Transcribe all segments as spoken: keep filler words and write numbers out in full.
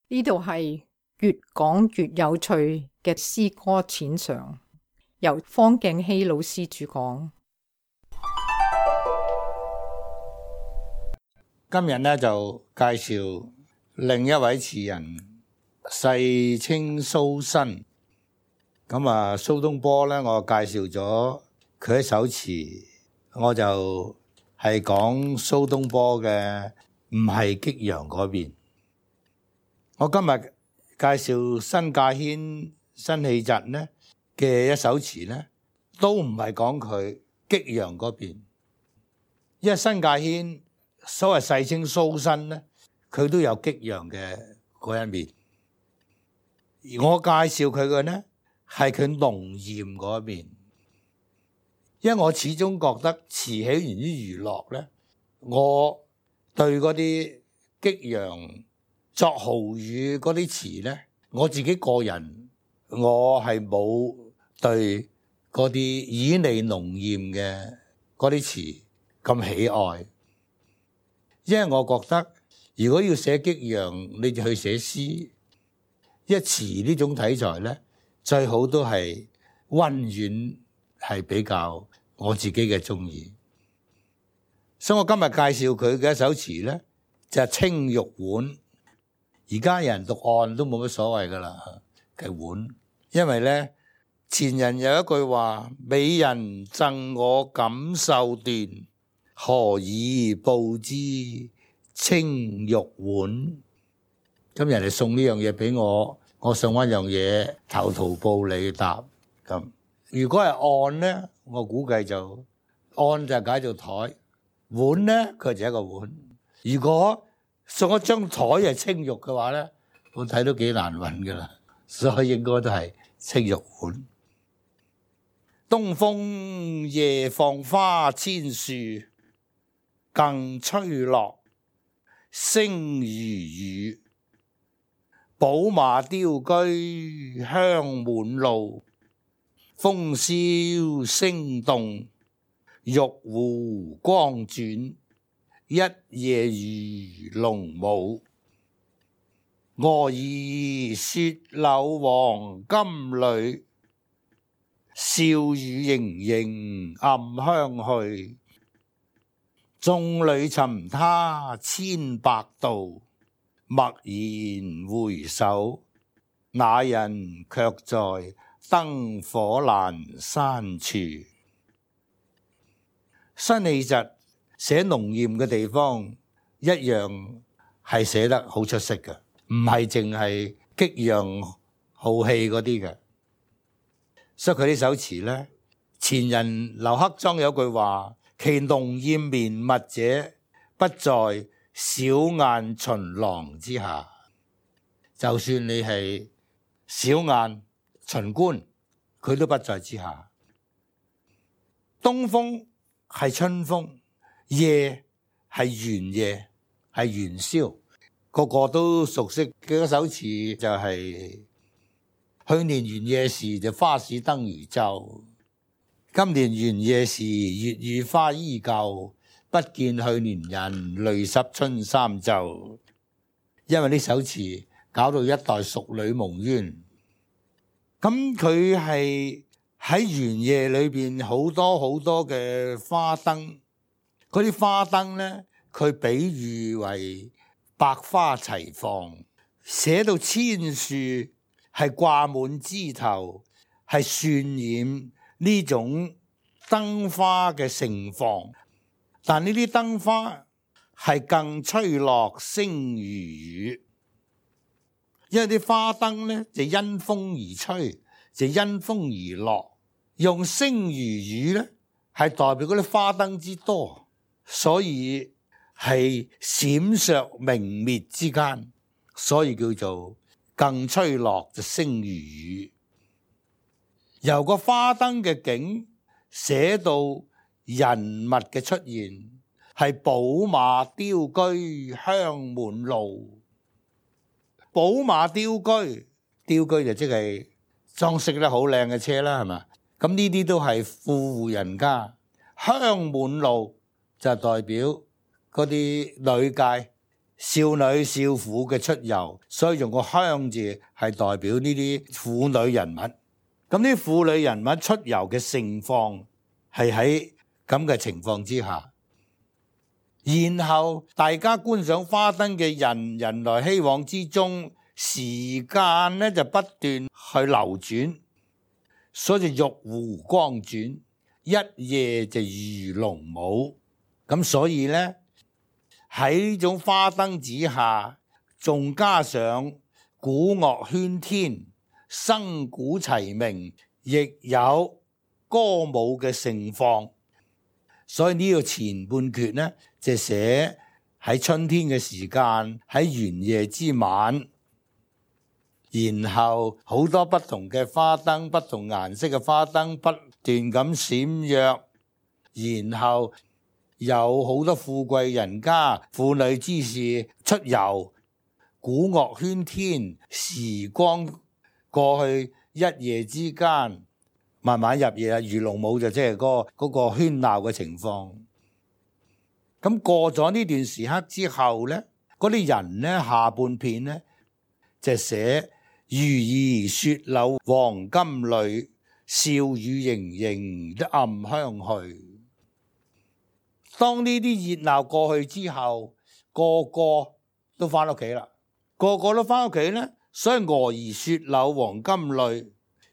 呢度係越講越有趣嘅詩歌淺嘗，由方敬熙老師主講。今日咧就介紹另一位詞人世稱蘇軾。咁啊，蘇東坡咧，我介紹咗佢一首詞，我就係講蘇東坡嘅，唔係激揚嗰邊。我今日介紹新界軒辛棄疾咧嘅一首詞咧，都唔係講佢激揚嗰邊，因為新界軒所謂世稱蘇軾咧，佢都有激揚嘅嗰一面。而我介紹佢嘅咧係佢濃豔嗰一面，因為我始終覺得詞起源於娛樂咧，我對嗰啲激揚作豪語嗰啲詞咧，我自己個人我係冇對嗰啲旖旎濃豔嘅嗰啲詞咁喜愛，因為我覺得如果要寫激揚，你就去寫詩。一詞呢種題材咧，最好都係溫軟，係比較我自己嘅中意。所以我今日介紹佢嘅一首詞咧，就係《青玉碗》。而家人讀案都冇乜所謂噶啦，嘅碗。因為咧，前人有一句話：美人贈我錦繡段，何以報之青玉碗？咁人哋送呢樣嘢俾我，我送一樣嘢投桃報李答咁。如果係案咧，我估計就案就解做台，碗咧佢就一個碗。如果送一張台係青玉嘅話咧，我睇都幾難揾噶啦，所以應該都係青玉碗。東風夜放花千樹，更吹落，星如雨。寶馬雕車香滿路，風蕭聲動，玉壺光轉。一夜魚龍舞，蛾兒雪柳黃金縷，笑語盈盈暗香去。眾裏尋他千百度，驀然回首，那人卻在燈火闌珊處。辛棄疾寫濃豔嘅地方一樣係寫得好出色嘅，唔係淨係激揚豪氣嗰啲嘅。所以佢呢首詞咧，前人劉克莊有句話：其濃豔綿密者，不在小雁巡廊之下。就算你係小雁巡觀，佢都不在之下。東風係春風，夜係元夜，係元宵，個個都熟悉嘅一首詞就係、是、去年元夜時就花市燈如晝，今年元夜時月與花依舊，不見去年人，淚濕春衫袖。因為呢首詞搞到一代淑女夢冤，咁佢係喺元夜裏邊好多好多嘅花燈。嗰啲花燈咧，佢比喻為百花齊放，寫到千樹係掛滿枝頭，係渲染呢種燈花嘅盛放。但呢啲燈花係更吹落星如雨，因為啲花燈咧就因風而吹，就因風而落，用星如雨咧係代表嗰啲花燈之多。所以係閃爍明滅之間，所以叫做更吹落就星如雨。由個花燈嘅景寫到人物嘅出現，係寶馬雕車香滿路。寶馬雕車，雕車就即係裝飾得好靚嘅車啦，係嘛？咁呢啲都係富戶人家。香滿路就代表嗰啲女界少女少婦嘅出遊，所以用個鄉字係代表呢啲婦女人物。咁呢啲婦女人物出遊嘅盛況係喺咁嘅情況之下，然後大家觀賞花燈嘅人人來希往之中，時間咧就不斷去流轉，所以玉壺光轉，一夜就如龍舞。咁所以咧喺呢種花燈之下，仲加上鼓樂喧天，笙鼓齊鳴，亦有歌舞嘅盛況。所以呢個前半闕呢，就寫喺春天嘅時間，喺元夜之晚，然後好多不同嘅花燈，不同顏色嘅花燈不斷咁閃躍，然後有好多富貴人家、婦女之士出遊，鼓樂喧天，時光過去，一夜之間慢慢入夜，如龍舞就即係嗰個嗰個喧鬧嘅情況。咁過咗呢段時刻之後呢，嗰啲人呢，下半片呢，就寫如兒雪柳黃金縷，笑語盈盈的暗香去。當呢啲熱鬧過去之後，個個都翻屋企啦，個個都翻屋企呢，所以蛾兒雪柳黃金縷，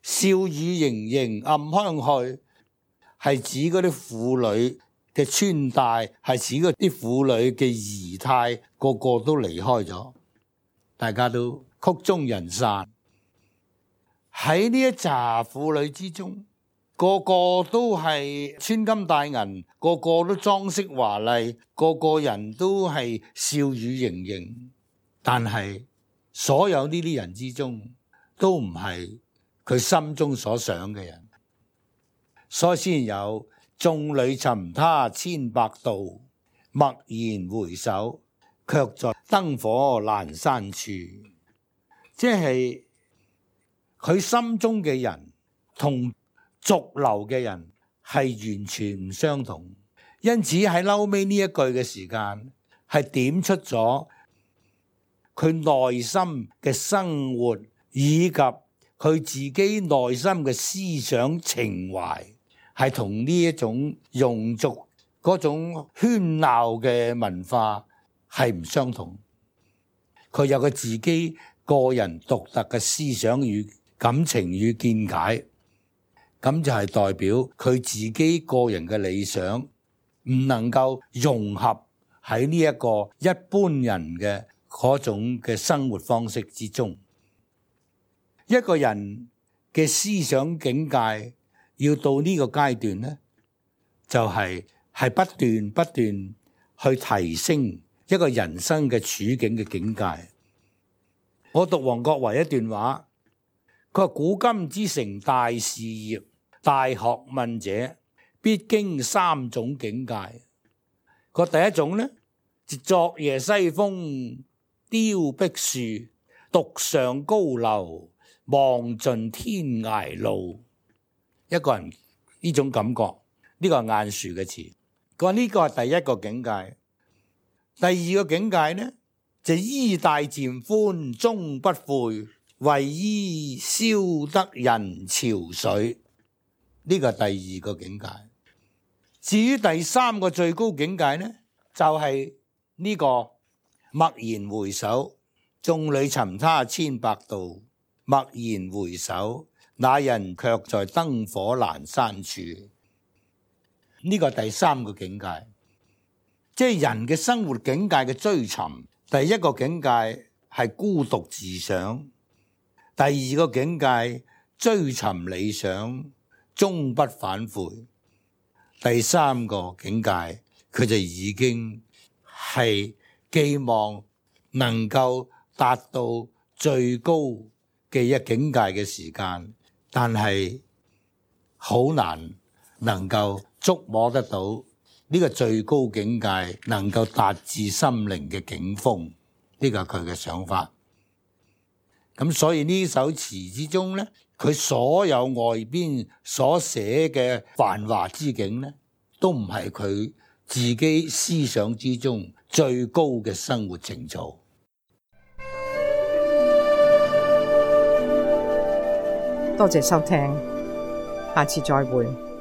笑語盈盈暗香去，係指嗰啲婦女嘅穿戴，係指嗰啲婦女嘅儀態，個個都離開咗，大家都曲終人散。喺呢一紮婦女之中，個個都係穿金戴銀，個個都裝飾華麗，個個人都係笑語盈盈。但係所有呢啲人之中，都唔係佢心中所想嘅人，所以先有眾裏尋他千百度，驀然回首，卻在燈火闌珊處。即係佢心中嘅人同俗流嘅人係完全唔相同，因此喺嬲尾呢一句嘅時間係點出咗佢內心嘅生活以及佢自己內心嘅思想情懷，係同呢一種庸俗嗰種喧鬧嘅文化係唔相同。佢有佢自己個人獨特嘅思想與感情與見解，咁就係代表佢自己個人嘅理想唔能夠融合喺呢一個一般人嘅嗰種嘅生活方式之中。一個人嘅思想境界要到呢個階段呢，就係係不斷不斷去提升一個人生嘅處境嘅境界。我讀王國維一段話，佢話古今之成大事業、大學問者，必經三種境界。個第一種呢，就昨夜西風凋碧樹，獨上高樓，望盡天涯路。一個人呢種感覺，呢、這個係晏殊嘅詞。佢話呢個係第一個境界。第二個境界呢，就衣帶漸寬終不悔，為伊消得人潮水。呢個係第二個境界。至於第三個最高境界呢，就係、是、呢個驀然回首，眾裏尋他千百度，驀然回首，那人卻在燈火闌珊處。呢個係第三個境界，即係人嘅生活境界嘅追尋。第一個境界係孤獨自賞，第二個境界追尋理想，終不反悔。第三個境界，佢就已經係寄望能夠達到最高嘅一境界嘅時間，但係好難能夠觸摸得到呢個最高境界能夠達至心靈嘅境峰，呢個係佢嘅想法。咁所以呢首詞之中呢，佢所有外邊所寫嘅繁華之景呢，都唔係佢自己思想之中最高嘅生活情操。多謝收聽，下次再會。